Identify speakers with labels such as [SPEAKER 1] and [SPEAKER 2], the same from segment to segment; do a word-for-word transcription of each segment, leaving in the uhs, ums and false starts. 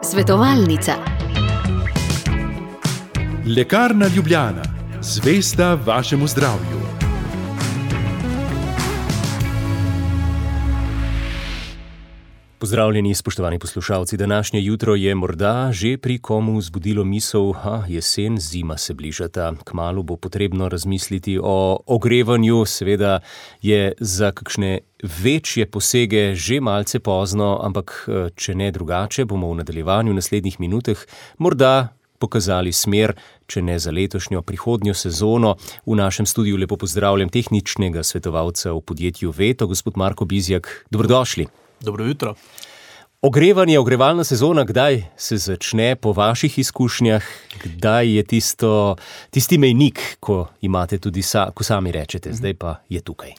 [SPEAKER 1] Svetovalnica.
[SPEAKER 2] Lekarna Ljubljana, zvesta vašemu zdravju.
[SPEAKER 3] Pozdravljeni, spoštovani poslušalci. Današnje jutro je morda že pri komu zbudilo misel, ha, jesen, zima se bližata. Kmalu bo potrebno razmisliti o ogrevanju, seveda je za kakšne večje posege že malce pozno, ampak če ne drugače, bomo v nadaljevanju naslednjih minutah morda pokazali smer, če ne za letošnjo, prihodnjo sezono. V našem studiu lepo pozdravljam tehničnega svetovalca v podjetju Veto, gospod Marko Bizjak. Dobrodošli.
[SPEAKER 4] Dobro jutro.
[SPEAKER 3] Ogrevanje, ogrevalna sezona, kdaj se začne po vaših izkušnjah? Kdaj je tisto, tisti mejnik, ko imate tudi sa, ko sami rečete, zdaj pa je tukaj?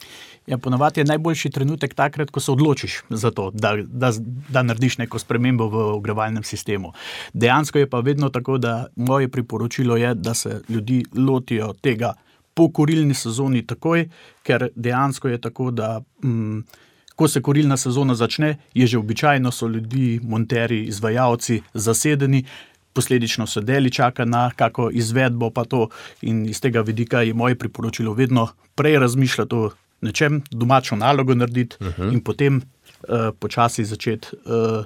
[SPEAKER 4] Ja, ponavadi je najboljši trenutek takrat, ko se odločiš za to, da, da, da narediš neko spremembo v ogrevalnem sistemu. Dejansko je pa vedno tako, da moje priporočilo je, da se ljudi lotijo tega po kurilni sezoni takoj, ker dejansko je tako, da mm, ko se kurilna sezona začne, je že običajno so ljudi, monterji, izvajalci zasedeni, posledično se deli čaka na kako izvedbo pa to, in iz tega vidika je moje priporočilo vedno prej razmišljati o nečem, domačo nalogo narediti uh-huh. in potem uh, počasi začeti uh,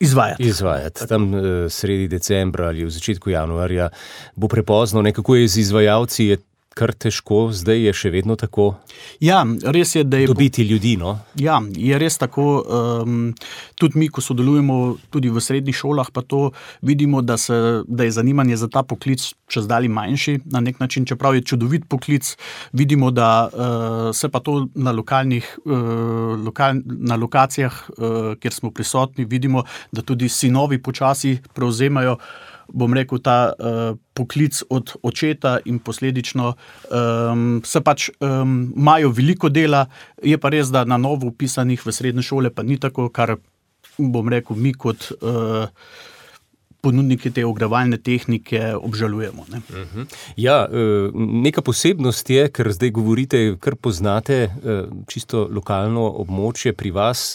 [SPEAKER 4] izvajati.
[SPEAKER 3] Izvajati. Tam uh, sredi decembra ali v začetku januarja bo prepozno, nekako je z izvajalci, je kar težko, zdaj je še vedno tako.
[SPEAKER 4] Ja, res je, da je...
[SPEAKER 3] Dobiti ljudi, no?
[SPEAKER 4] Ja, je res tako. Um, tudi mi, ko sodelujemo tudi v srednjih šolah, pa to vidimo, da, se, da je zanimanje za ta poklic čez dalje manjši, na nek način, čeprav je čudovit poklic, vidimo, da uh, se pa to na lokalnih, uh, lokal, na lokacijah, uh, kjer smo prisotni, vidimo, da tudi sinovi počasi prevzemajo, bom rekel, ta uh, poklic od očeta in posledično um, se pač um, imajo veliko dela, je pa res, da na novo upisanih v srednje šole pa ni tako, kar bom rekel, mi kot uh, ponudniki te ogrevalne tehnike obžalujemo. Ne?
[SPEAKER 3] Uh-huh. Ja, neka posebnost je, ker zdaj govorite, kar poznate čisto lokalno območje pri vas,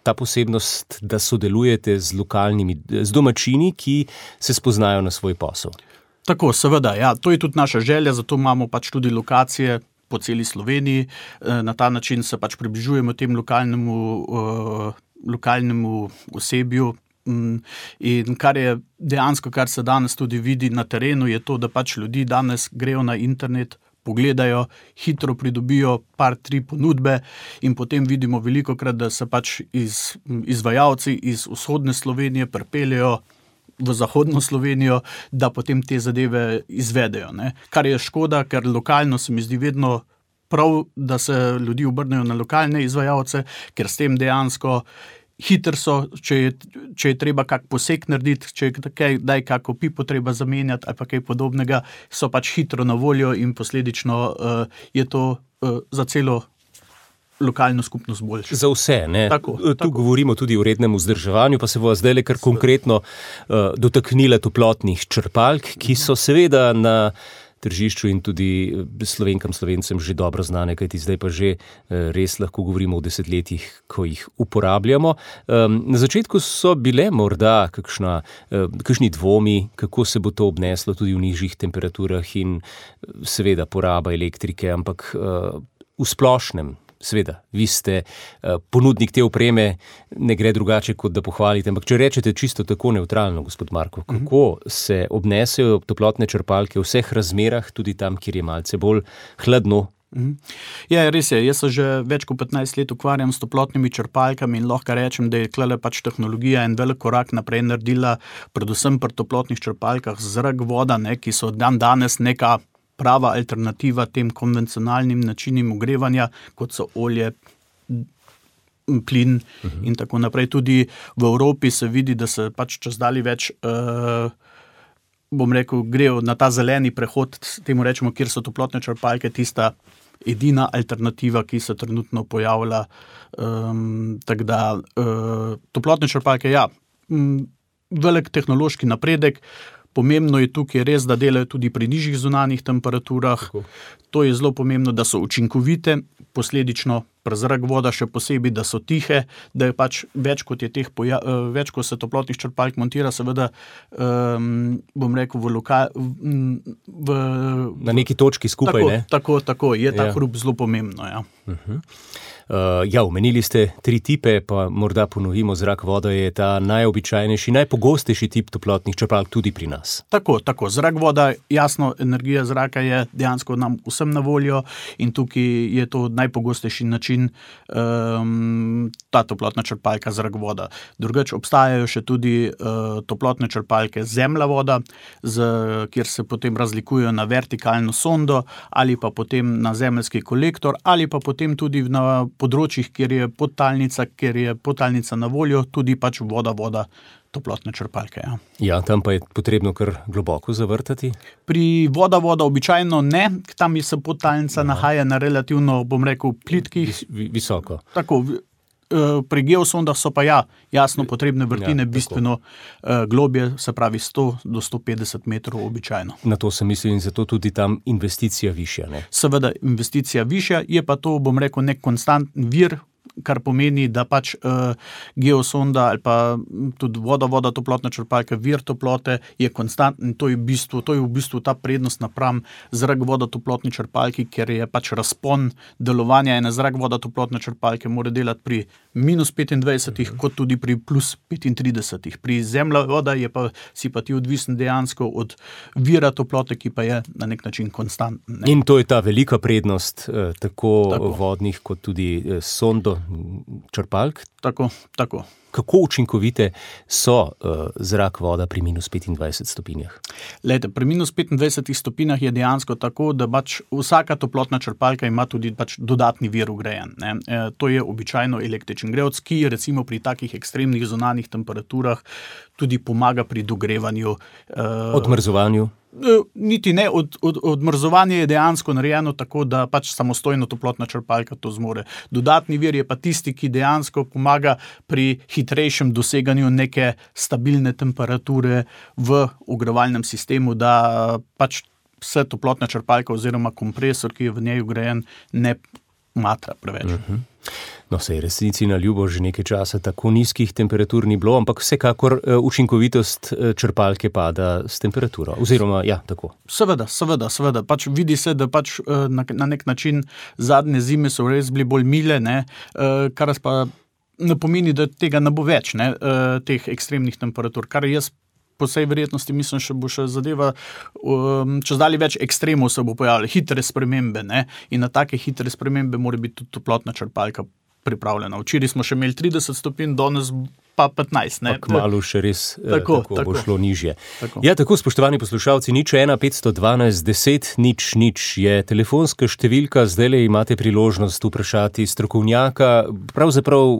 [SPEAKER 3] ta posebnost, da sodelujete z lokalnimi, z domačini, ki se spoznajo na svoj posel.
[SPEAKER 4] Tako, seveda, ja, to je tudi naša želja, zato imamo pač tudi lokacije po celi Sloveniji. Na ta način se pač približujemo tem lokalnemu, uh, lokalnemu osebju. In kar je dejansko, kar se danes tudi vidi na terenu, je to, da pač ljudi danes grejo na internet, pogledajo, hitro pridobijo par, tri ponudbe in potem vidimo velikokrat, da se pač iz, izvajalci iz vzhodne Slovenije pripeljejo v zahodno Slovenijo, da potem te zadeve izvedejo. Ne? Kar je škoda, ker lokalno se mi zdi vedno prav, da se ljudi obrnejo na lokalne izvajalce, ker s tem dejansko hiter so, če je, če je treba kak poseg narediti, če je kaj, daj kako pipo treba zamenjati ali pa kaj podobnega, so pač hitro na voljo in posledično uh, je to uh, za celo lokalno skupnost boljše.
[SPEAKER 3] Za vse, ne?
[SPEAKER 4] Tako,
[SPEAKER 3] tu
[SPEAKER 4] tako.
[SPEAKER 3] Govorimo tudi o rednem vzdrževanju, pa se bo zdaj le kar konkretno uh, dotaknila toplotnih črpalk, ki so seveda na tržišču in tudi Slovenkam, Slovencem že dobro znane, kajti zdaj pa že res lahko govorimo o desetletjih, ko jih uporabljamo. Na začetku so bile morda kakšna, kakšni dvomi, kako se bo to obneslo tudi v nižjih temperaturah in seveda poraba elektrike, ampak v splošnem, seveda, vi ste ponudnik te opreme, ne gre drugače, kot da pohvalite, ampak če rečete čisto tako neutralno, gospod Marko, kako se obnesejo toplotne črpalke v vseh razmerah, tudi tam, kjer je malce bolj hladno?
[SPEAKER 4] Ja, res je. Jaz se že več kot petnajst let ukvarjam s toplotnimi črpalkami in lahko rečem, da je tlele pač tehnologija en velik korak naprej naredila, predvsem pri toplotnih črpalkah zrak, voda, ne, ki so dan danes neka prava alternativa tem konvencionalnim načinim ogrevanja, kot so olje, plin uh-huh. in tako naprej. Tudi v Evropi se vidi, da se pač čez dalje več, uh, bom rekel, grejo na ta zeleni prehod, temu rečemo, kjer so toplotne črpalke tista edina alternativa, ki se trenutno pojavlja. Um, tako da uh, toplotne črpalke, ja, um, velik tehnološki napredek. Pomembno je tukaj res, da delajo tudi pri nižjih zunanjih temperaturah. Tako. To je zelo pomembno, da so učinkovite, posledično pri zrak voda še posebej, da so tihe, da je pač več kot je teh poja- več kot se toplotnih črpalk montira, seveda um, bom rekel v lokal v,
[SPEAKER 3] na neki točki skupaj,
[SPEAKER 4] tako,
[SPEAKER 3] ne?
[SPEAKER 4] Tako, tako, je ta
[SPEAKER 3] Ja.
[SPEAKER 4] hrup zelo pomembno, ja.
[SPEAKER 3] Uh-huh. Uh, ja, omenili ste tri tipe, pa morda ponovimo, zrak voda je ta najobičajnejši, najpogostejši tip toplotnih črpalk tudi pri nas.
[SPEAKER 4] Tako, tako. Zrak voda, jasno, energija zraka je dejansko nam vsem na voljo in tukaj je to najpogostejši način um, ta toplotna črpalka zrak voda. Drugače obstajajo še tudi uh, toplotne črpalke zemlja voda, z, kjer se potem razlikujejo na vertikalno sondo ali pa potem na zemeljski kolektor ali pa potem tudi na področjih, kjer je podtalnica, kjer je podtalnica na voljo, tudi pač voda, voda, toplotne črpalke. Ja.
[SPEAKER 3] Ja, tam pa je potrebno kar globoko zavrtati.
[SPEAKER 4] Pri voda, voda običajno ne, tam se podtalnica Aha. nahaja na relativno, bom rekel, plitkih.
[SPEAKER 3] Vis, visoko.
[SPEAKER 4] Tako, pri geosondah so pa ja, jasno potrebne vrtine ja, bistveno uh, globje, se pravi sto do sto petdeset metrov običajno.
[SPEAKER 3] Na to sem mislil in zato tudi tam investicija višja, ne?
[SPEAKER 4] Seveda investicija višja, je pa to, bom rekel, nek konstantni vir, kar pomeni, da pač uh, geosonda ali pa tudi voda, voda, toplotna črpalka, vir toplote je konstantni, to je v bistvu, to je v bistvu ta prednost napram zrak voda toplotni črpalki, ker je pač razpon delovanja ene zrak voda toplotne črpalke mora delati pri minus petindvajsetih, uh-huh. kot tudi pri plus petintridesetih. Pri zemlja voda je pa, si pa ti odvisen dejansko od vira toplote, ki pa je na nek način konstantni.
[SPEAKER 3] In to je ta velika prednost eh, tako,
[SPEAKER 4] tako
[SPEAKER 3] vodnih kot tudi eh, sondo črpalk.
[SPEAKER 4] Tako, tako.
[SPEAKER 3] Kako učinkovite so uh, zrak voda pri minus petindvajsetih stopinjah?
[SPEAKER 4] Lejte, pri minus petindvajsetih stopinjah je dejansko tako, da pač vsaka toplotna črpalka ima tudi pač dodatni vir vgrajen. Ne? E, to je običajno električen grevec, ki recimo pri takih ekstremnih zunanjih temperaturah tudi pomaga pri dogrevanju. Uh,
[SPEAKER 3] Odmrzovanju?
[SPEAKER 4] Niti ne, od, od, odmrzovanje je dejansko narejeno tako, da pač samostojno toplotna črpalka to zmore. Dodatni vir je pa tisti, ki dejansko pomaga pri hitrejšem doseganju neke stabilne temperature v ogrevalnem sistemu, da pač se toplotna črpalka oziroma kompresor, ki je v njej vgrajen, ne matra preveč.
[SPEAKER 3] Uh-huh. No, sej resnici na ljubo že nekaj časa tako nizkih temperatur ni bilo, ampak vsekakor uh, učinkovitost uh, črpalke pada s temperaturo. Oziroma, ja, tako.
[SPEAKER 4] Seveda, seveda, seveda. Pač vidi se, da pač uh, na, na nek način zadnje zime so res bili bolj mile, ne, uh, kar pa ne pomeni, da tega ne bo več, ne, uh, teh ekstremnih temperatur, kar jaz po vsej verjetnosti mislim, še bo še zadeva, um, čez dalje več ekstremov se bo pojavljalo, hitre spremembe, ne, in na take hitre spremembe mora biti tudi toplotna črpalka pripravljena. Včeraj smo še imeli trideset stopinj, danes pa petnajst. Ne?
[SPEAKER 3] Pa kmalu še res tako, tako, tako bo šlo nižje.
[SPEAKER 4] Tako.
[SPEAKER 3] Ja, tako, spoštovani poslušalci, nič ena petsto dvanajst deset nič nič je telefonska številka, zdajle imate priložnost vprašati strokovnjaka, pravzaprav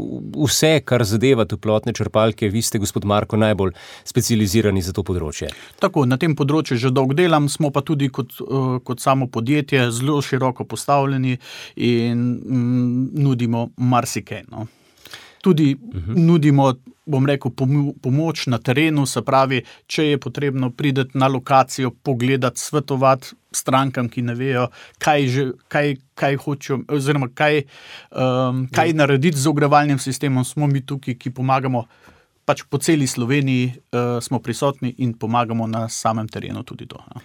[SPEAKER 3] vse, kar zadeva toplotne črpalke, vi ste, gospod Marko, najbolj specializirani za to področje.
[SPEAKER 4] Tako, na tem področju že dolgo delam, smo pa tudi kot, kot samo podjetje zelo široko postavljeni in mm, nudimo marsikaj, no. Tudi uh-huh. nudimo, bom rekel, pomoč na terenu, se pravi, če je potrebno prideti na lokacijo, pogledati, svetovati strankam, ki ne vejo, kaj, že, kaj, kaj hočejo, oziroma kaj, um, kaj uh-huh. narediti z ogrevalnim sistemom, smo mi tukaj, ki pomagamo pač po celi Sloveniji, uh, smo prisotni in pomagamo na samem terenu tudi to. Ja.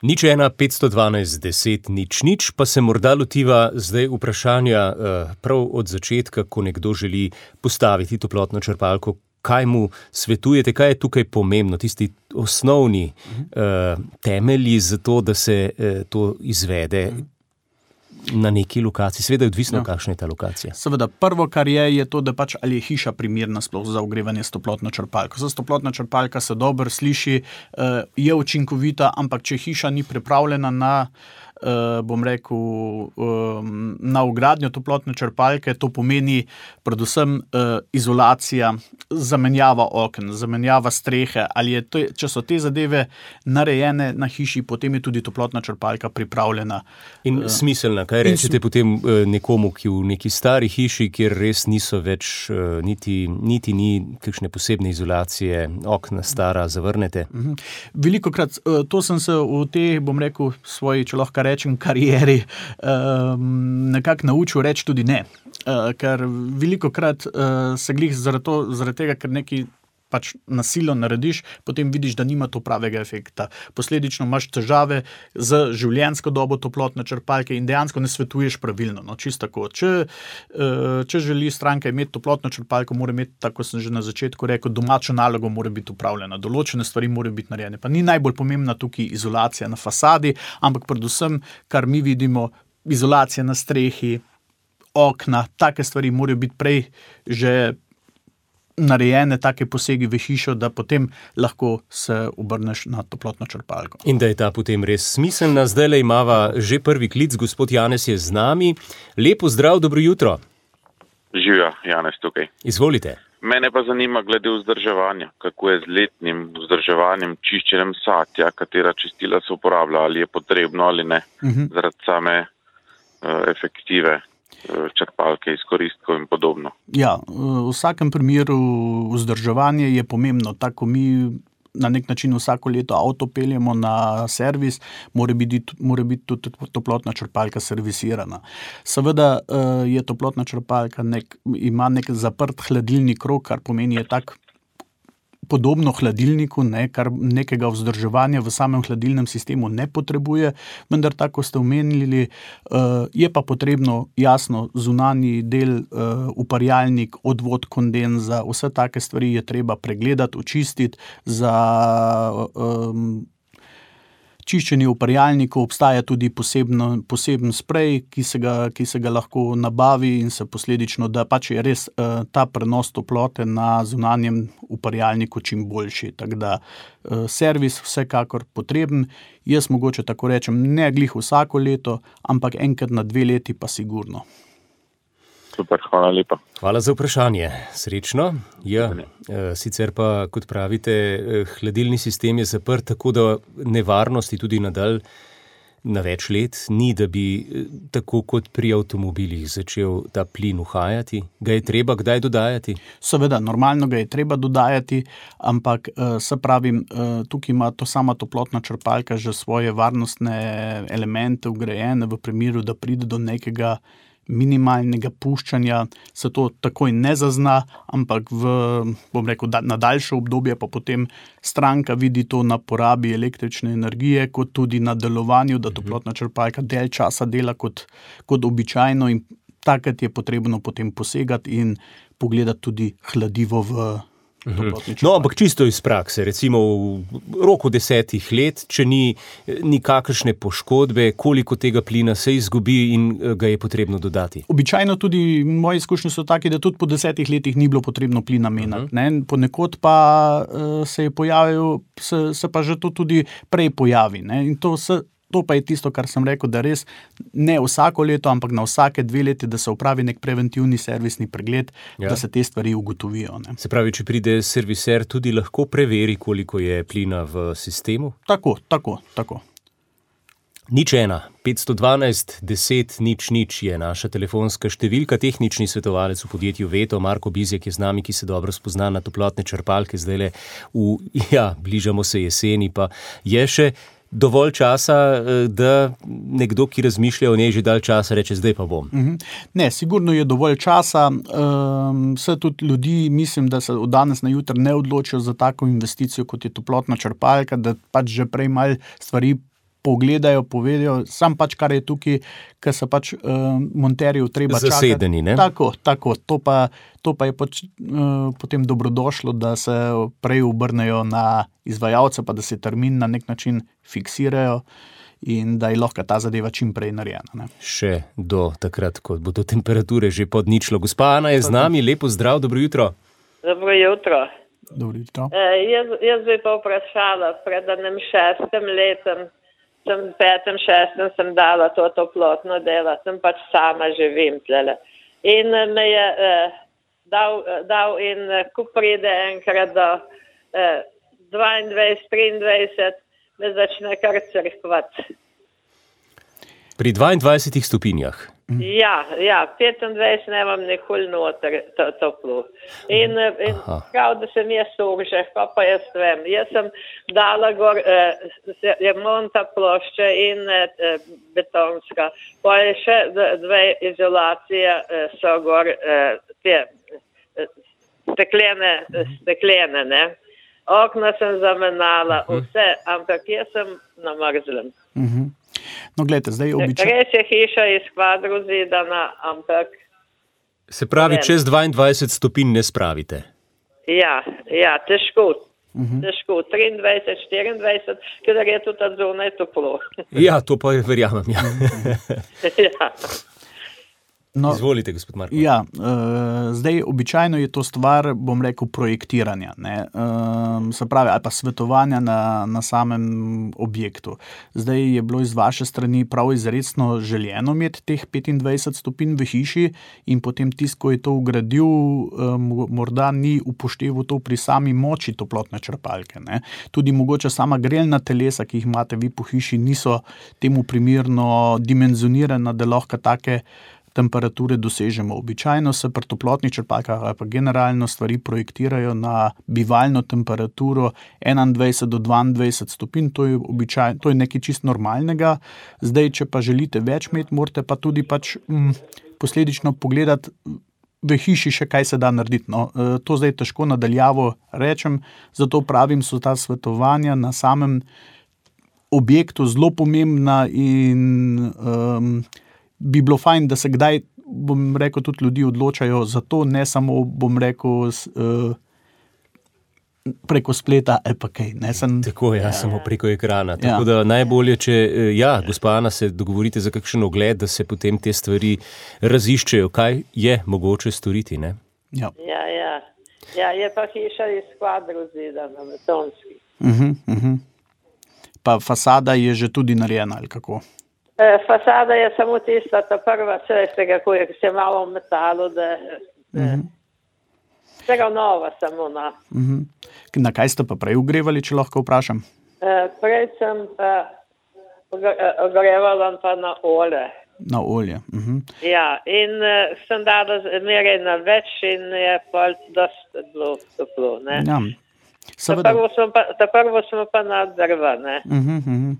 [SPEAKER 3] Nič ena petsto dvanajst deset nič nič, pa se morda lotiva zdaj vprašanja prav od začetka, ko nekdo želi postaviti toplotno črpalko. Kaj mu svetujete, kaj je tukaj pomembno, tisti osnovni uh, temelji za to, da se uh, to izvede na neki lokaciji? Seveda je odvisno, ja. kakšna je ta lokacija.
[SPEAKER 4] Seveda, prvo, kar je, je to, da pač ali je hiša primerna sploh za ogrevanje s toplotno črpalko. Za toplotna črpalka se dobro sliši, je učinkovita, ampak če hiša ni pripravljena na, bom rekel, na vgradnjo toplotne črpalke, to pomeni predvsem izolacija, zamenjava oken, zamenjava strehe, ali je to, če so te zadeve narejene na hiši, potem je tudi toplotna črpalka pripravljena.
[SPEAKER 3] In smiselna, kaj rečete potem nekomu, ki v neki stari hiši, kjer res niso več, niti, niti ni kakšne posebne izolacije, okna stara, zavrnete?
[SPEAKER 4] Velikokrat, to sem se v te, bom rekel, svoji, če lahko rečem, karieri um, nekako naučil reči tudi ne. Uh, ker veliko krat uh, se glih zaradi, to, zaradi tega, ker neki pač nasilo narediš, potem vidiš, da nima to pravega efekta. Posledično imaš težave z življenjsko dobo toplotne črpalke in dejansko ne svetuješ pravilno. No, čisto tako. Če, če želi stranka imeti toplotno črpalko, mora imeti, tako sem že na začetku rekel, domačo nalogo mora biti upravljena. Določene stvari morajo biti narejene. Pa ni najbolj pomembna tukaj izolacija na fasadi, ampak predvsem, kar mi vidimo, izolacija na strehi, okna, take stvari morajo biti prej že narejene, take posegi v hišo, da potem lahko se obrneš na toplotno črpalko.
[SPEAKER 3] In da je ta potem res smiselna. Zdajle imava že prvi klic, gospod Janez je z nami. Lepo zdrav, dobro jutro.
[SPEAKER 5] Živja, Janez tukaj.
[SPEAKER 3] Izvolite.
[SPEAKER 5] Mene pa zanima glede vzdrževanja, kako je z letnim vzdrževanjem, čiščenjem satja, katera čistila se uporablja, ali je potrebno ali ne, uh-huh. zaradi same uh, efektive črpalke, izkoristkov in podobno.
[SPEAKER 4] Ja, v vsakem primeru vzdrževanje je pomembno. Tako mi na nek način vsako leto avto peljemo na servis, mora biti, mora biti tudi toplotna črpalka servisirana. Seveda je toplotna črpalka nek, ima nek zaprt hladilni krog, kar pomeni je tak podobno hladilniku, ne, kar nekega vzdrževanja v samem hladilnem sistemu ne potrebuje, vendar tako ste omenili, uh, je pa potrebno jasno zunanji del, uh, uparjalnik, odvod kondenza, vse take stvari je treba pregledati, očistiti. Za um, čiščenje uparjalnikov obstaja tudi posebno, poseben sprej, ki se, ga, ki se ga lahko nabavi in se posledično, da pač je res uh, ta prenos toplote na zunanjem uparjalniku čim boljši. Tako da uh, servis vsekakor potreben. Jaz mogoče tako rečem, ne glih vsako leto, ampak enkrat na dve leti pa sigurno.
[SPEAKER 5] Super, hvala lepa.
[SPEAKER 3] Hvala za vprašanje. Srečno. Ja, sicer pa, kot pravite, hladilni sistem je zaprt, tako da nevarnosti tudi nadalj na več let ni, da bi tako kot pri avtomobilih začel ta plin uhajati. Ga je treba kdaj dodajati?
[SPEAKER 4] Seveda, normalno ga je treba dodajati, ampak se pravim, tukaj ima to sama toplotna črpalka že svoje varnostne elemente vgrajene v primeru, da pride do nekega minimalnega puščanja, se to takoj ne zazna, ampak v, bom rekel, da, na daljše obdobje pa potem stranka vidi to na porabi električne energije, kot tudi na delovanju, da toplotna črpalka del časa dela kot, kot običajno in takrat je potrebno potem posegati in pogledati tudi hladivo v
[SPEAKER 3] No, ampak čisto iz prakse, recimo v roku desetih let, če ni nikakršne poškodbe, koliko tega plina se izgubi in ga je potrebno dodati?
[SPEAKER 4] Običajno tudi moje izkušnje so taki, da tudi po desetih letih ni bilo potrebno plina menjati. Uh-huh. Ponekod pa uh, se je pojavil, se, se pa že to tudi prej pojavi. Ne? In to se To pa je tisto, kar sem rekel, da res ne vsako leto, ampak na vsake dve leti, da se upravi nek preventivni servisni pregled, ja. Da se te stvari ugotovijo. Ne.
[SPEAKER 3] Se pravi, če pride serviser, tudi lahko preveri, koliko je plina v sistemu?
[SPEAKER 4] Tako, tako, tako.
[SPEAKER 3] Nič ena, petsto dvanajst, deset, nič, nič je naša telefonska številka. Tehnični svetovalec v podjetju Veto, Marko Bizjak je z nami, ki se dobro spozna na toplotne črpalke. Zdajle v, ja, bližamo se jeseni, pa je še dovolj časa, da nekdo, ki razmišlja o njej že dalj časa, reče, zdaj pa bom.
[SPEAKER 4] Ne, sigurno je dovolj časa. Vse tudi ljudi, mislim, da se od danes na jutri ne odločijo za tako investicijo, kot je toplotna črpalka, da pač že prej malo stvari pogledajo, povedajo, sam pač, kar je tukaj, ker se pač uh, monterjev treba čakati.
[SPEAKER 3] Zasedeni, ne?
[SPEAKER 4] Tako, tako. To pa, to pa je pač, uh, potem dobrodošlo, da se prej obrnejo na izvajalce, pa da se termin na nek način fiksirajo in da je lahko ta zadeva čim prej narejena. Ne?
[SPEAKER 3] Še do takrat, ko bo do temperature že pod ničlo. Gospa Ana je z nami, lepo zdrav, dobro jutro.
[SPEAKER 6] Dobro jutro.
[SPEAKER 4] Dobro jutro.
[SPEAKER 6] E, jaz, jaz bi pa vprašala, pred enim šestim letem, sem petem, šestem sem dala to toplotno delo, sem pač sama živim tlele. In me je eh, dal, dal in ko pride enkrat do eh, dvaindvajset, triindvajset, me začne kar crkvati.
[SPEAKER 3] Pri dvaindvajsetih stopinjah?
[SPEAKER 6] Ja, ja, petindvajset nemam nikoli noter to, toplo. In, in prav, da sem jaz urže, pa pa jaz vem. Jaz sem dala gor eh, remonta plošče in eh, betonska. Pa je še dve izolacije eh, so gor eh, te eh, steklene, steklene, ne. Okna sem zamenjala, vse, ampak jaz sem na mrzlem.
[SPEAKER 4] Mhm. No, gledajte, zdaj običajno.
[SPEAKER 6] Res je hiša iz kvadru zidana, ampak...
[SPEAKER 3] Se pravi, čez dvaindvajset stopinj ne spravite?
[SPEAKER 6] Ja, ja, težko. Uh-huh. Težko. triindvajset, štiriindvajset, ker je tudi zunaj toplo.
[SPEAKER 3] Ja, to pa verjamem, ja.
[SPEAKER 6] Ja.
[SPEAKER 4] No,
[SPEAKER 3] izvolite, gospod Marko.
[SPEAKER 4] Ja, uh, zdaj običajno je to stvar, bom rekel, projektiranja, ne, uh, se pravi, ali pa svetovanja na, na samem objektu. Zdaj je bilo iz vaše strani prav izrecno željeno imeti teh petindvajset stopinj v hiši in potem tisto, ko je to ugradil, um, morda ni upošteval to pri sami moči toplotne črpalke, ne. Tudi mogoče sama grelna telesa, ki jih imate vi po hiši, niso temu primerno dimenzionirana, da lahko take temperature dosežemo. Običajno se pri toplotnih črpalkah ali pa generalno stvari projektirajo na bivalno temperaturo enaindvajset do dvaindvajset stopinj, to je običajno, to je nekaj čist normalnega. Zdaj, če pa želite več imeti, morate pa tudi pač m, posledično pogledati v hiši še kaj se da narediti. No, to zdaj težko nadaljavo rečem, zato pravim, so ta svetovanja na samem objektu zelo pomembna in um, bi bilo fajn, da se kdaj, bom rekel, tudi ljudi odločajo za to, ne samo, bom rekel, uh, preko spleta ali pa kaj. Ne, sem,
[SPEAKER 3] tako, ja, ja, samo preko ekrana. Tako
[SPEAKER 4] ja.
[SPEAKER 3] Da najbolje, če, ja, gospa Ana, se dogovorite za kakšen ogled, da se potem te stvari raziščejo, kaj je mogoče storiti, ne?
[SPEAKER 4] Ja,
[SPEAKER 6] ja, ja. Ja, je pa hiša iz kvadru zidana, betonski.
[SPEAKER 4] Uh-huh, uh-huh. Pa fasada je že tudi narejena, ali kako?
[SPEAKER 6] Fasada je samo tista, ta prva, vse kako je, se malo v metalu, da uh-huh. vsega nova samo na.
[SPEAKER 4] Uh-huh. Na kaj ste pa prej ogrevali, če lahko vprašam?
[SPEAKER 6] Uh, prej sem uh, ogrevala pa na olje.
[SPEAKER 4] Na olje. Uh-huh.
[SPEAKER 6] Ja, in uh, sem dala meraj na več in je pa dosti bilo toplo, ne.
[SPEAKER 4] Ja.
[SPEAKER 6] Ta prvo smo pa, ta prvo smo pa na drva, ne.
[SPEAKER 4] Uh-huh, uh-huh.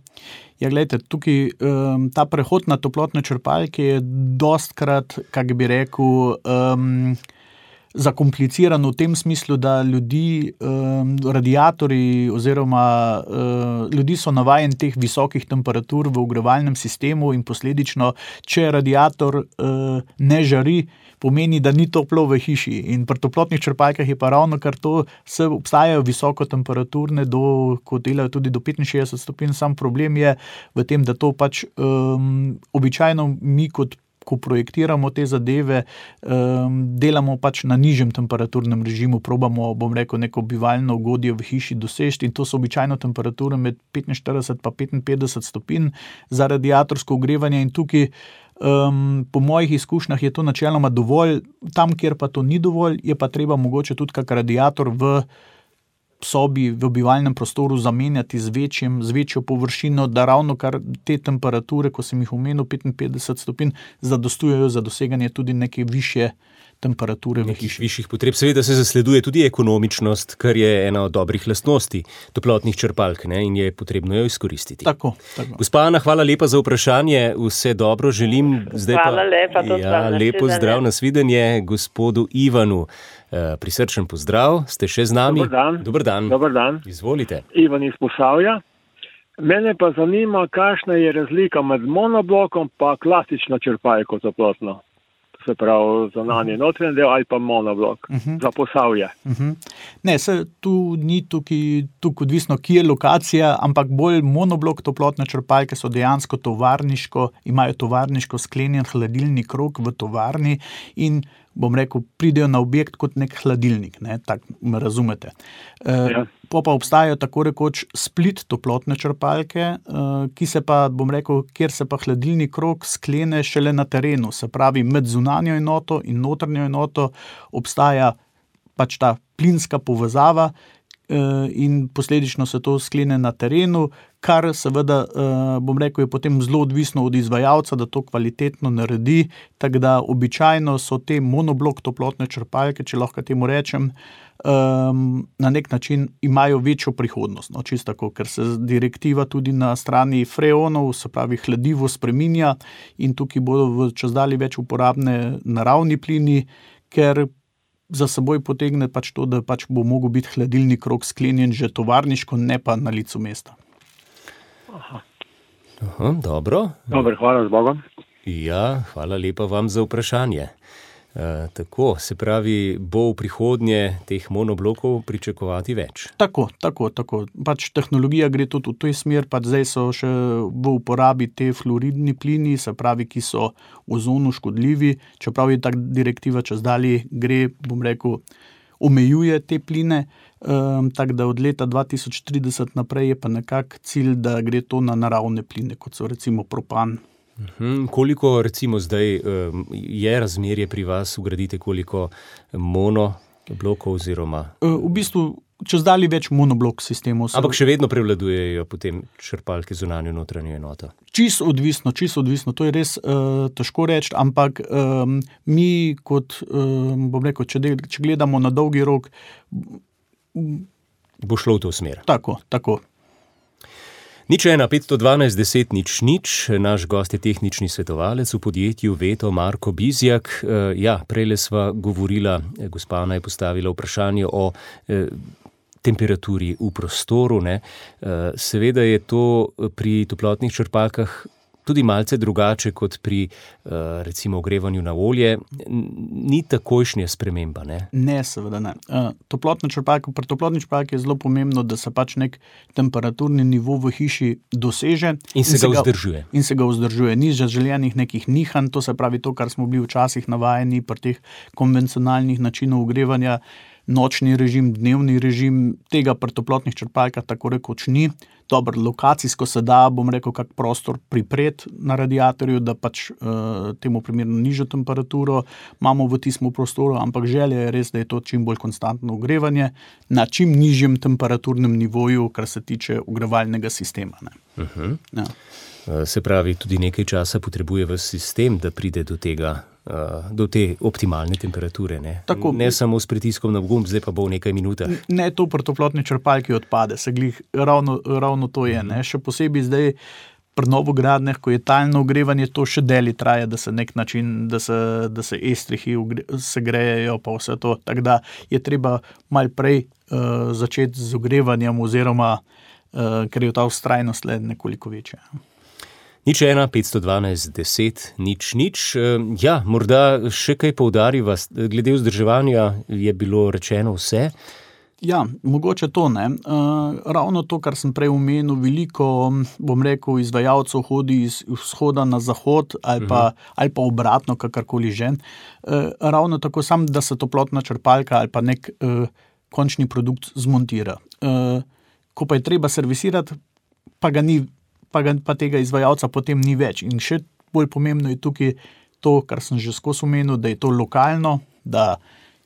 [SPEAKER 4] Ja, gledajte, tukaj um, ta prehod na toplotne črpalke je dostkrat, kak bi rekel, um, zakompliciran v tem smislu, da ljudi, um, radiatorji oziroma uh, ljudi so navajeni teh visokih temperatur v ogrevalnem sistemu in posledično, če radiator uh, ne žari, pomeni, da ni toplo v hiši. In pri toplotnih črpalkah je pa ravno kar to, se obstajajo visoko temperaturne, do, ko delajo tudi do petinšestdeset stopinj, sam problem je v tem, da to pač um, običajno mi kot ko projektiramo te zadeve, um, delamo pač na nižjem temperaturnem režimu, probamo, bom rekel, neko bivalno ugodje v hiši dosežiti in to so običajno temperature med petinštirideset pa petinpetdeset stopinj za radiatorsko ogrevanje in tukaj Um, po mojih izkušnjah je to načeloma dovolj, tam, kjer pa to ni dovolj, je pa treba mogoče tudi kak radiator v sobi, v bivalnem prostoru zamenjati z večjim, z večjo površino, da ravno kar te temperature, ko sem jih omenil, petinpetdeset stopinj, zadostujejo za doseganje tudi neke višje temperature v hiši.
[SPEAKER 3] Višjih potreb. Seveda se zasleduje tudi ekonomičnost, kar je ena od dobrih lastnosti toplotnih črpalk, ne, in je potrebno jo izkoristiti.
[SPEAKER 4] Tako, tako.
[SPEAKER 3] Gospa Ana, hvala lepa za vprašanje, vse dobro želim. Zdaj
[SPEAKER 6] hvala
[SPEAKER 3] pa,
[SPEAKER 6] lepa, to
[SPEAKER 3] ja, lepo zdrav, nasvidenje gospodu Ivanu. Uh, prisrčen pozdrav, ste še z nami?
[SPEAKER 7] Dobar dan.
[SPEAKER 3] Dobar dan.
[SPEAKER 7] Dobar dan.
[SPEAKER 3] Izvolite.
[SPEAKER 7] Ivan iz Posavja. Mene pa zanima, kakšna je razlika med monoblokom pa klasično črpalko toplotno. Se pravi, zunanji notranji del ali pa monoblok uh-huh. za Posavje.
[SPEAKER 4] Uh-huh. Ne, se tu ni tukaj, tukaj odvisno, kje je lokacija, ampak bolj monoblok toplotne črpalke so dejansko tovarniško, imajo tovarniško sklenjen hladilni krog v tovarni in bom rekel, pridejo na objekt kot nek hladilnik, ne, tako me razumete. E, ja. Po pa obstajajo tako rekoč split toplotne črpalke, e, ki se pa, bom rekel, kjer se pa hladilni krog sklene šele na terenu, se pravi med zunanjo enoto in notranjo enoto obstaja pač ta plinska povezava, in posledično se to sklene na terenu, kar seveda, bom rekel, je potem zelo odvisno od izvajalca, da to kvalitetno naredi, tako da običajno so te monoblok toplotne črpalke, če lahko temu rečem, na nek način imajo večjo prihodnost, no, čisto tako, ker se direktiva tudi na strani freonov, se pravi hladivo, spreminja in tukaj bodo v čezdalje več uporabne naravni plini, ker za seboj potegne pač to, da pač bo mogel biti hladilni krog sklenjen že tovarniško, ne pa na licu mesta.
[SPEAKER 3] Aha. Aha, dobro.
[SPEAKER 7] Dobar, hvala z Bogom.
[SPEAKER 3] Ja, hvala lepa vam za vprašanje. E, tako, se pravi, bo v prihodnje teh monoblokov pričakovati več?
[SPEAKER 4] Tako, tako, tako. Pač tehnologija gre tudi v toj smer, pač zdaj so še v uporabi te fluoridni plini, se pravi, ki so ozonu škodljivi, čeprav je tak direktiva čezdalje gre, bom rekel, omejuje te pline, um, tako da od leta dva tisoč trideset naprej je pa nekak cilj, da gre to na naravne pline, kot so recimo propan.
[SPEAKER 3] Uhum, koliko recimo zdaj um, je razmerje pri vas, ugradite koliko monoblokov oziroma?
[SPEAKER 4] V bistvu čezdalje več monoblok sistemov.
[SPEAKER 3] Ampak še vedno prevladujejo potem črpalke zunanjo notranjo enoto?
[SPEAKER 4] Čisto odvisno, čisto odvisno. To je res uh, težko reči, ampak um, mi kot, um, bom rekel, če, del, če gledamo na dolgi rok...
[SPEAKER 3] Bo šlo v to smer.
[SPEAKER 4] Tako, tako.
[SPEAKER 3] Nič ena, petsto dvanajst, deset, nič, nič. Naš gost je tehnični svetovalec v podjetju Veto, Marko Bizjak. Uh, ja, prejle sva govorila, gospa Ana je postavila vprašanje o uh, temperaturi v prostoru, ne. Uh, seveda je to pri toplotnih črpalkah tudi malce drugače kot pri uh, recimo ogrevanju na olje. Ni takojšnja sprememba, ne?
[SPEAKER 4] Ne, seveda ne. Uh, toplotna črpalka, pri toplotni črpalki je zelo pomembno, da se pač nek temperaturni nivo v hiši doseže.
[SPEAKER 3] In se, in se ga vzdržuje.
[SPEAKER 4] In se ga vzdržuje. Ni željenih nekih nihanj, to se pravi to, kar smo bili včasih navajeni pri teh konvencionalnih načinov ogrevanja, nočni režim, dnevni režim, tega pri toplotnih črpalkah tako rekoč ni. Dobro, lokacijsko se da, bom rekel, kak prostor pripreti na radiatorju, da pač uh, temu primerno nižjo temperaturo imamo v tistem prostoru, ampak želja je res, da je to čim bolj konstantno ogrevanje na čim nižjem temperaturnem nivoju, kar se tiče ogrevalnega sistema. Ne.
[SPEAKER 3] Uh-huh.
[SPEAKER 4] Ja.
[SPEAKER 3] Se pravi, tudi nekaj časa potrebuje v sistem, da pride do tega, do te optimalne temperature, ne?
[SPEAKER 4] Tako,
[SPEAKER 3] ne samo s pritiskom na gumb, zdaj pa bo v nekaj minutah.
[SPEAKER 4] Ne, to pri toplotni črpalki odpade, se glih, ravno, ravno to je, ne? Še posebej zdaj pri novogradnjah, ko je talno ogrevanje, to še deli traja, da se nek način, da se, da se estrihi segrejejo, pa vse to, tako da je treba malo prej uh, začeti z ogrevanjem oziroma, uh, ker je ta vztrajnost le nekoliko večja.
[SPEAKER 3] Nič ena, petsto dvanajst, deset, nič, nič. Ja, morda še kaj poudariva, glede vzdrževanja je bilo rečeno vse.
[SPEAKER 4] Ja, mogoče to ne. Uh, ravno to, kar sem prej omenil, veliko, bom rekel, izvajalcev hodi iz vzhoda na zahod ali pa, uh-huh. ali pa obratno, kakorkoli že. Uh, ravno tako sam, da se toplotna črpalka ali pa nek uh, končni produkt zmontira. Uh, ko pa je treba servisirati, pa ga ni Pa, pa tega izvajalca potem ni več. In še bolj pomembno je tukaj to, kar sem že skozi omenil, da je to lokalno, da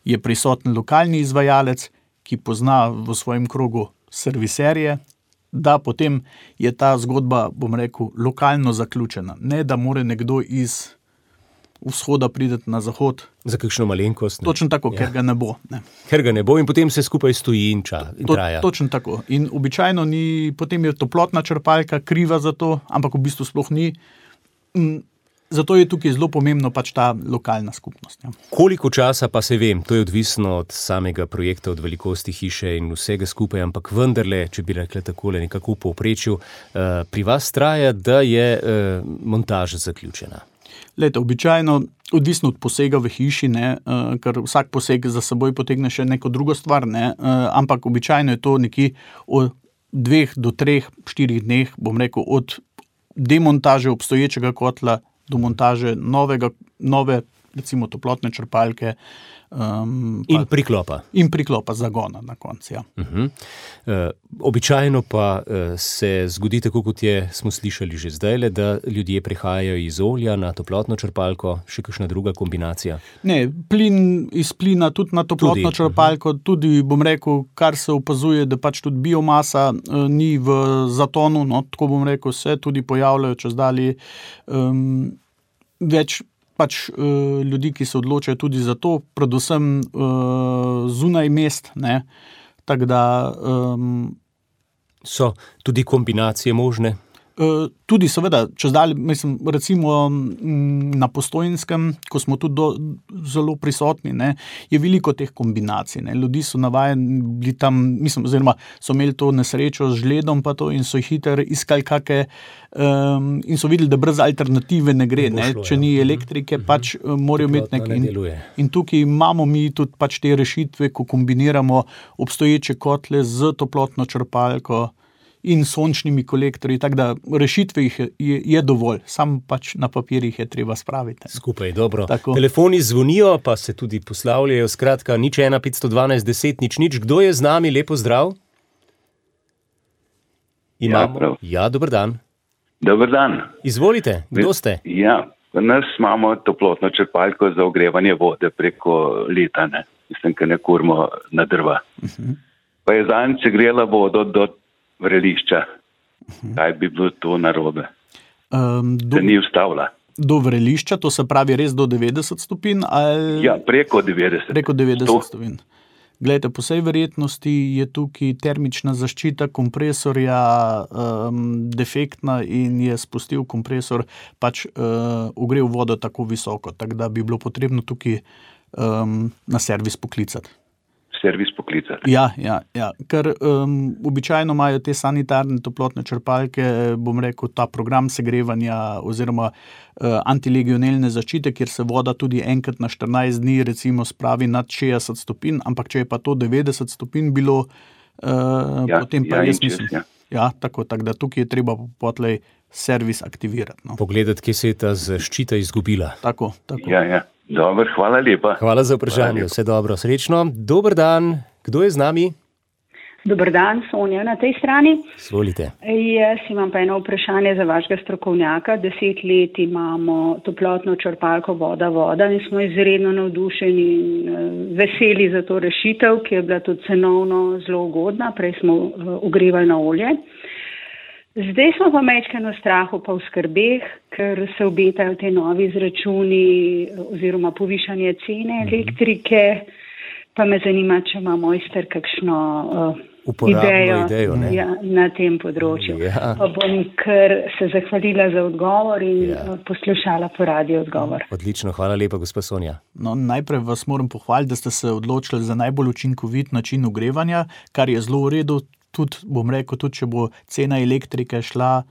[SPEAKER 4] je prisoten lokalni izvajalec, ki pozna v svojem krogu serviserje, da potem je ta zgodba, bom rekel, lokalno zaključena. Ne, da more nekdo iz vzhoda prideti na zahod.
[SPEAKER 3] Za kakšno malenkost. Ne?
[SPEAKER 4] Točno tako, ja. Ker ga ne bo. Ne.
[SPEAKER 3] Ker ga ne bo in potem se skupaj stoji in, ča, in
[SPEAKER 4] to,
[SPEAKER 3] traja.
[SPEAKER 4] Točno tako. In običajno ni, potem je toplotna črpalka kriva za to, ampak v bistvu sploh ni. Zato je tukaj zelo pomembno pač ta lokalna skupnost. Ja.
[SPEAKER 3] Koliko časa pa se vem, to je odvisno od samega projekta, od velikosti hiše in vsega skupaj, ampak vendarle, če bi rekla takole nekako v povprečju, uh, pri vas traja, da je uh, montaža zaključena.
[SPEAKER 4] Lejte, običajno, odvisno od posega v hiši, ne, uh, ker vsak poseg za seboj potegne še neko drugo stvar, ne, uh, ampak običajno je to nekje od dveh do treh, štirih dneh, bom rekel, od demontaže obstoječega kotla do montaže novega, nove recimo toplotne črpalke. Um,
[SPEAKER 3] in priklopa.
[SPEAKER 4] In priklopa zagona na koncu, ja.
[SPEAKER 3] Uh-huh. Uh, običajno pa uh, se zgodi tako, kot je, smo slišali že zdajle, da ljudje prehajajo iz olja na toplotno črpalko, še kakšna druga kombinacija?
[SPEAKER 4] Ne, plin iz plina tudi na toplotno tudi. črpalko, uh-huh. tudi, bom rekel, kar se opazuje, da pač tudi biomasa uh, ni v zatonu, no, tako bom rekel, se tudi pojavljajo čez dalje um, več pač uh, ljudi, ki se odločajo tudi za to, predvsem uh, zunaj mest, ne, tako da... Um,
[SPEAKER 3] so tudi kombinacije možne?
[SPEAKER 4] Uh, tudi seveda, čez dalje, mislim, recimo m, na Postojnskem, ko smo tudi do, zelo prisotni, ne, je veliko teh kombinacij, ne, ljudi so navajeni bili tam, mislim, oziroma so imeli to nesrečo z žledom pa to in so hiter iskali kake um, in so videli, da brez alternative ne gre, ne, šlo, če ja. ni elektrike, uh-huh. pač uh, morajo imeti nek... In, in tukaj imamo mi tudi pač te rešitve, ko kombiniramo obstoječe kotle z toplotno črpalko in sončnimi kolektorji, tako da rešitve jih je, je dovolj, sam pač na papirjih je treba spraviti.
[SPEAKER 3] Skupaj, dobro.
[SPEAKER 4] Tako.
[SPEAKER 3] Telefoni zvonijo, pa se tudi poslavljajo, skratka, nič ena petsto dvanajst deset nič nič. Kdo je z nami? Lepo zdrav. Imamo. Ja, ja, dober dan.
[SPEAKER 8] Dober dan.
[SPEAKER 3] Izvolite, kdo ste?
[SPEAKER 8] Ja, v nas imamo toplotno črpalko za ogrevanje vode preko leta, ne. Mislim, ker ne kurimo na drva. Uh-huh. Pa je zadnjič grela vodo do vrelišča. Kaj bi bilo to narobe? Um, do, da ni ustavila.
[SPEAKER 4] Do vrelišča, to se pravi res do devetdeset stopinj? Ali...
[SPEAKER 8] Ja, preko devetdeset.
[SPEAKER 4] Preko devetdeset stopinj. Glejte, po vsej verjetnosti je tukaj termična zaščita kompresorja um, defektna in je spustil kompresor, pač uh, ogrel vodo tako visoko, tako da bi bilo potrebno tukaj um, na servis poklicati.
[SPEAKER 8] servis poklicati.
[SPEAKER 4] Ja, ja, ja. Ker um, običajno imajo te sanitarne toplotne črpalke, bom rekel, ta program segrevanja oziroma uh, antilegionelne zaščite, kjer se voda tudi enkrat na štirinajst dni recimo spravi nad šestdeset stopinj, ampak če je pa to devetdeset stopinj bilo, uh, ja, potem pa
[SPEAKER 8] ja,
[SPEAKER 4] jaz mislim.
[SPEAKER 8] Ja.
[SPEAKER 4] Ja, tako, tako da tukaj je treba potlej servis aktivirati. No.
[SPEAKER 3] Pogledati, kje se je ta zaščita izgubila.
[SPEAKER 4] Tako, tako.
[SPEAKER 8] Ja, ja. Dobar, hvala lepa.
[SPEAKER 3] Hvala za vprašanje, vse dobro, srečno. Dober dan, kdo je z nami?
[SPEAKER 9] Dober dan, Sonja na tej strani.
[SPEAKER 3] Svolite.
[SPEAKER 9] Jaz imam pa eno vprašanje za vašega strokovnjaka. Deset let imamo toplotno črpalko voda, voda in smo izredno navdušeni in veseli za to rešitev, ki je bila tudi cenovno zelo ugodna. Prej smo ogrevali na olje. Zdaj smo pa majčkeno v strahu pa v skrbeh, ker se obetajo te novi izračuni oziroma povišanje cene elektrike, pa me zanima, če ima mojster kakšno uh, idejo,
[SPEAKER 3] idejo
[SPEAKER 9] ja, na tem področju.
[SPEAKER 3] Ja.
[SPEAKER 9] Pa bom kar se zahvalila za odgovor in ja. poslušala po radiju odgovor.
[SPEAKER 3] Odlično, hvala lepa, gospa Sonja.
[SPEAKER 4] No, najprej vas moram pohvaliti, da ste se odločili za najbolj učinkovit način ogrevanja, kar je zelo v redu. Tudi, bom rekel, tudi če bo cena elektrike šla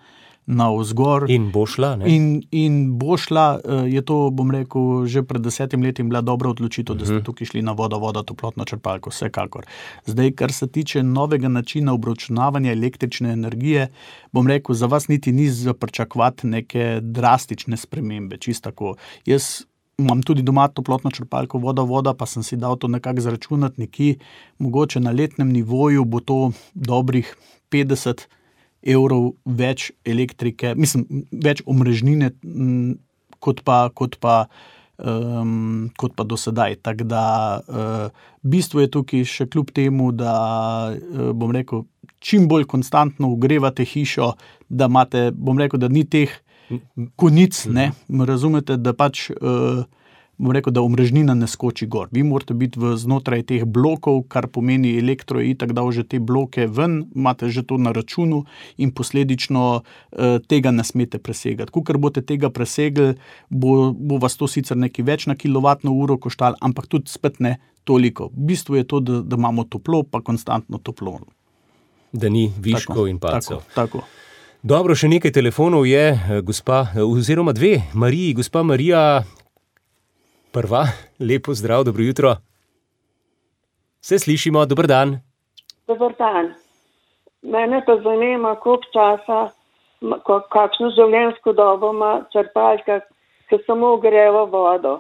[SPEAKER 4] navzgor.
[SPEAKER 3] In bo šla, ne?
[SPEAKER 4] In, in bo šla, je to, bom rekel, že pred desetim letim bila dobra odločitev, uh-huh. da ste tukaj šli na voda, voda, toplotno črpalko, vsekakor. Zdaj, kar se tiče novega načina obračunavanja električne energije, bom rekel, za vas niti ni za pričakovati neke drastične spremembe, čisto tako. Jaz imam tudi doma toplotno črpalko voda, voda, pa sem si dal to nekako zračunati nekje, mogoče na letnem nivoju bo to dobrih petdeset evrov več elektrike, mislim, več omrežnine m, kot pa, kot pa, um, kot pa do sedaj. Tako da uh, bistvo je tukaj še kljub temu, da uh, bom rekel, čim bolj konstantno ogrevate hišo, da imate, bom rekel, da ni teh konic, ne, razumete, da pač, uh, bom rekel, da omrežnina ne skoči gor. Vi morate biti v znotraj teh blokov, kar pomeni elektro je itak dal že te bloke ven, imate že to na računu in posledično uh, tega ne smete presegati. Kukor boste tega presegli, bo, bo vas to sicer nekaj več na kilovatno uro koštalo, ampak tudi spet ne toliko. V bistvu je to, da, da imamo toplo, pa konstantno toplo.
[SPEAKER 3] Da ni viškov tako, in pacov.
[SPEAKER 4] Tako, tako.
[SPEAKER 3] Dobro, še nekaj telefonov je, gospa, oziroma dve, Mariji, gospa Marija, prva, lepo zdrav, dobro jutro. Se slišimo, dober dan.
[SPEAKER 10] Dober dan. Mene pa zanima, koliko časa, kakšno življenjsko dobo ima črpalka, ki samo ogreva vodo.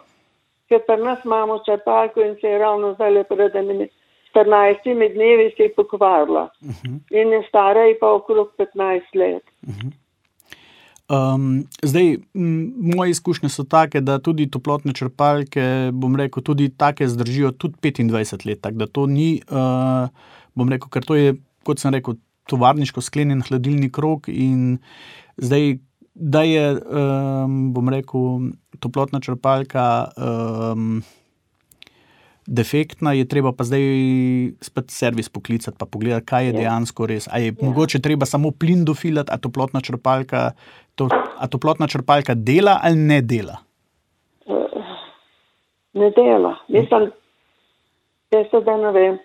[SPEAKER 10] ker pri nas imamo črpalko in se je ravno zdaj pred štirinajstimi dnevi se je pokvarila. Uh-huh. In je stara je pa okrog petnajst let.
[SPEAKER 4] Uh-huh. Um, zdaj, m, moje izkušnje so take, da tudi toplotne črpalke, bom rekel, tudi take zdržijo tudi petindvajset let, tako da to ni, uh, bom rekel, ker to je, kot sem rekel, tovarniško sklenjen hladilni krog in zdaj, da je, um, bom rekel, toplotna črpalka um, defektna, je treba pa zdaj spet servis poklicati pa pogledati, kaj je dejansko res. A je ja. mogoče treba samo plin dofilati, a toplotna črpalka, to, a toplotna črpalka dela ali ne dela?
[SPEAKER 10] Ne dela. Mislim, jaz da ne vem.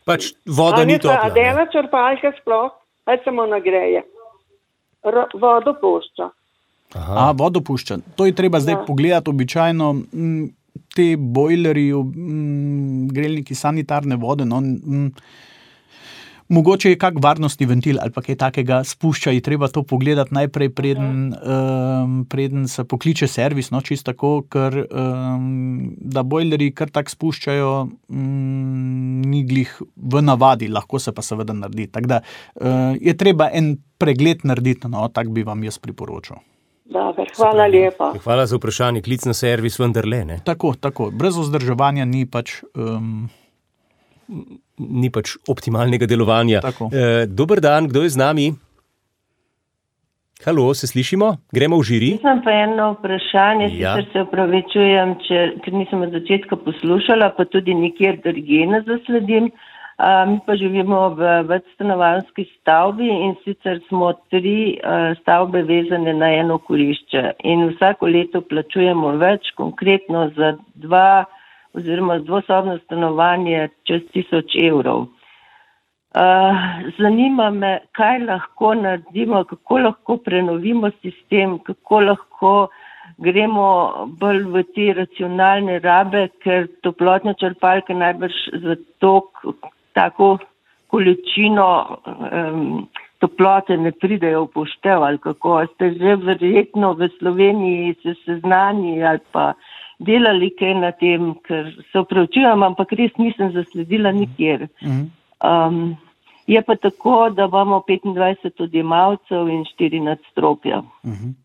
[SPEAKER 3] Pač voda ni topla.
[SPEAKER 10] A dela črpalka sploh, ali samo nagreje? R- vodo pušča.
[SPEAKER 4] Aha. A, vodo pušča. To je treba zdaj ja. pogledati običajno. M, te bojleri, m, grelniki sanitarne vode, no, m, mogoče je kak varnostni ventil ali pa kaj takega spušča, je treba to pogledati najprej, preden, um, preden se pokliče servis, no, čisto tako, ker um, da bojleri kar tak spuščajo, um, ni glih v navadi, lahko se pa seveda naredi. Tako da uh, je treba en pregled narediti, no, tak bi vam jaz priporočal.
[SPEAKER 10] Dobar, hvala lepa.
[SPEAKER 3] Hvala za vprašanje, klic na servis vendarle, ne?
[SPEAKER 4] Tako, tako. Brez vzdrževanja ni pač... Um...
[SPEAKER 3] Ni pač optimalnega delovanja. E, dober dan, kdo je z nami? Halo, se slišimo? Gremo v žiri?
[SPEAKER 11] Nisem pa eno vprašanje, ja. Sicer se opravičujem, če, ker nisem od začetka poslušala, pa tudi nikjer drugje ne zasledim. A, mi pa živimo v večstanovanjski stavbi in sicer smo tri a, stavbe vezane na eno kurišče in vsako leto plačujemo več, konkretno za dva oziroma dvosobno stanovanje čez tisoč evrov. Uh, zanima me, kaj lahko naredimo, kako lahko prenovimo sistem, kako lahko gremo bolj v te racionalne rabe, ker toplotne črpalke najbrž za to tako količino um, toplote ne pridejo v poštev, ali kako ste že verjetno v Sloveniji se seznani ali pa delali kaj na tem, ker se opravičujem, ampak res nisem zasledila nikjer. Um, je pa tako, da imamo petindvajset odjemalcev in štiri nadstropja.
[SPEAKER 4] Uh-huh.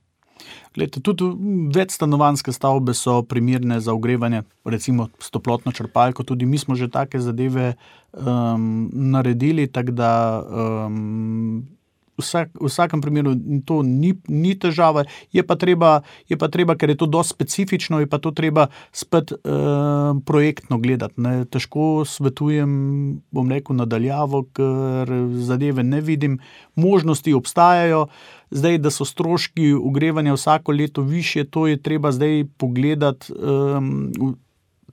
[SPEAKER 4] Glede, tudi večstanovanjske stavbe so primerne za ogrevanje, recimo s toplotno črpalko, tudi mi smo že take zadeve um, naredili, tako da um, Vsak, v vsakem primeru to ni, ni težava, je pa, treba, je pa treba, ker je to dosti specifično, je pa to treba spet eh, projektno gledati. Ne. Težko svetujem, bom rekel, nadaljavo, ker zadeve ne vidim. Možnosti obstajajo, zdaj, da so stroški ogrevanja vsako leto višje, to je treba zdaj pogledati. Eh,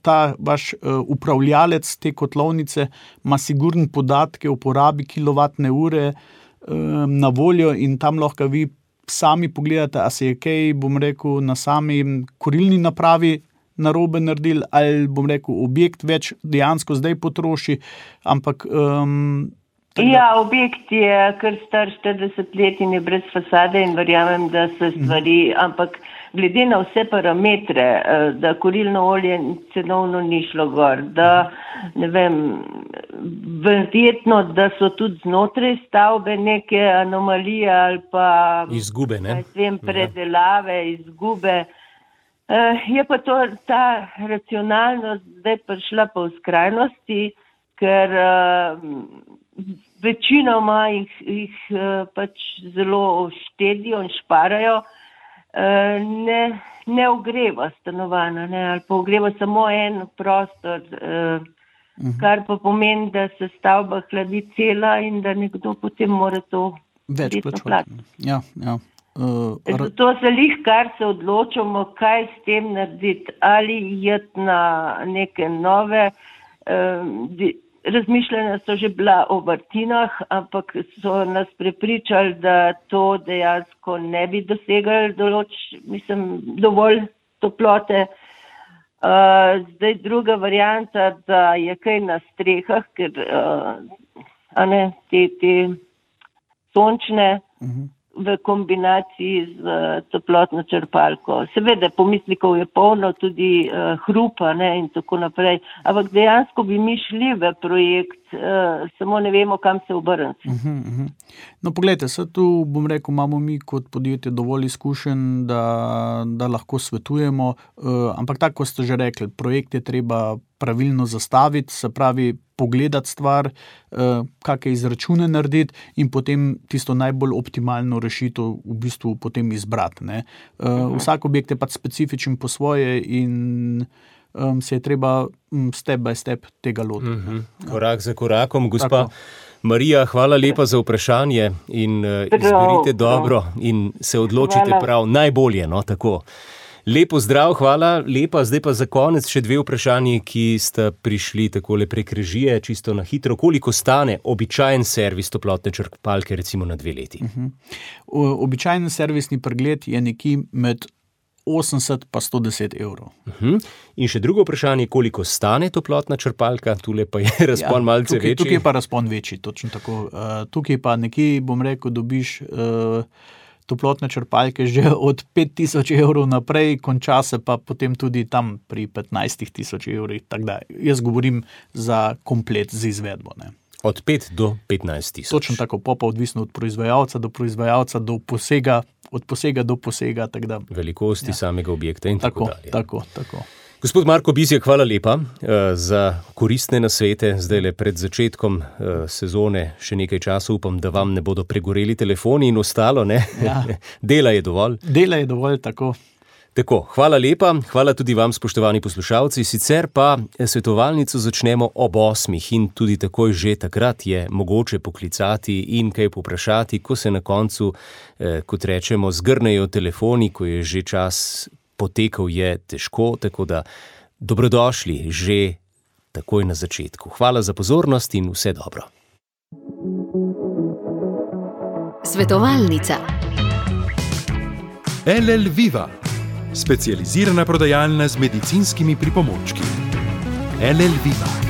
[SPEAKER 4] ta vaš uh, upravljalec te kotlovnice ima sigurno podatke o porabi kilovatne ure na voljo in tam lahko vi sami pogledate, a se je kaj, bom rekel, na sami kurilni napravi narobe naredil, ali bom rekel, objekt več dejansko zdaj potroši, ampak... Um,
[SPEAKER 11] ja, objekt je kar star štirideset let in je brez fasade in verjamem, da se stvari, mm. ampak glede na vse parametre, da kurilno olje cenovno ni šlo gor, da ne vem, verjetno, da so tudi znotraj stavbe neke anomalije ali pa
[SPEAKER 3] izgube, ne?
[SPEAKER 11] Vem, predelave, izgube. Je pa to, ta racionalnost zdaj prišla po skrajnosti, ker večinoma jih, jih pač zelo štedijo in šparajo, ne, ne ogreva stanovanja, ne, ali pa ogreva samo en prostor, uh-huh. kar pa pomeni, da se stavba hladi cela in da nekdo potem mora to
[SPEAKER 4] več plačati. Ja, ja. Uh,
[SPEAKER 11] Zato se lih, kar se odločamo, kaj s tem narediti, ali jeti na neke nove, uh, razmišljanja so že bila o vrtinah, ampak so nas prepričali, da to dejansko ne bi dosegali določ, mislim, dovolj toplote. Uh, zdaj druga varianta, da je kaj na strehah, ker uh, a ne, te, te sončne, uh-huh. v kombinaciji z toplotno črpalko. Seveda, pomislikov je polno, tudi uh, hrupa, ne, in tako naprej, ampak dejansko bi mi šli v projekt, uh, samo ne vemo, kam se obrniti.
[SPEAKER 4] Uh-huh, uh-huh. No, poglejte, se tu, bom rekel, imamo mi kot podjetje dovolj izkušenj, da, da lahko svetujemo, uh, ampak tako, ko ste že rekli, projekt je treba pravilno zastaviti, se pravi pogledati stvar, uh, kakšne izračune narediti in potem tisto najbolj optimalno rešitev v bistvu potem izbrati. Ne? Uh, uh-huh. Vsak objekt je pač specifičen po svoje in um, se je treba um, step by step tega lotiti.
[SPEAKER 3] Uh-huh. Korak za korakom, gospa Tako. Marija, hvala lepa za vprašanje in uh, izberite dobro in se odločite hvala. Prav najbolje, no, tako. Lepo zdrav, hvala, lepa. Zdaj pa za konec še dve vprašanji, ki sta prišli takole prek režije, čisto na hitro. Koliko stane običajen servis toplotne črpalke, recimo na dve leti?
[SPEAKER 4] Uh-huh. Običajen servisni pregled je nekje med osemdeset pa sto deset evrov.
[SPEAKER 3] Uh-huh. In še drugo vprašanje, koliko stane toplotna črpalka? Tule pa je razpon ja, malce
[SPEAKER 4] tukaj,
[SPEAKER 3] večji.
[SPEAKER 4] Tukaj je pa razpon večji, točno tako. Uh, tukaj pa nekje, bom rekel, dobiš uh, toplotne črpalke že od pet tisoč evrov naprej, konča se pa potem tudi tam pri petnajst tisoč evrih. Tako da jaz govorim za komplet z izvedbo. Ne.
[SPEAKER 3] Od pet do petnajst tisoč.
[SPEAKER 4] Točno tako, pa odvisno od proizvajalca do proizvajalca, do posega, od posega do posega. Tak da,
[SPEAKER 3] velikosti ja. Samega objekta in tako, tako dalje.
[SPEAKER 4] Tako, tako.
[SPEAKER 3] Gospod Marko Bizjak, hvala lepa uh, za koristne nasvete. Zdaj le pred začetkom uh, sezone še nekaj časa upam, da vam ne bodo pregoreli telefoni in ostalo, ne? Ja. Dela je dovolj.
[SPEAKER 4] Dela je dovolj, tako.
[SPEAKER 3] Tako, hvala lepa, hvala tudi vam, spoštovani poslušalci. Sicer pa svetovalnico začnemo ob osmih in tudi takoj že takrat je mogoče poklicati in kaj poprašati, ko se na koncu, eh, kot rečemo, zgrnejo telefoni, ko je že čas potekal, je težko, tako da dobrodošli že takoj na začetku. Hvala za pozornost in vse dobro.
[SPEAKER 1] Svetovalnica.
[SPEAKER 2] L L Viva, specializirana prodajalna z medicinskimi pripomočki. L L Viva.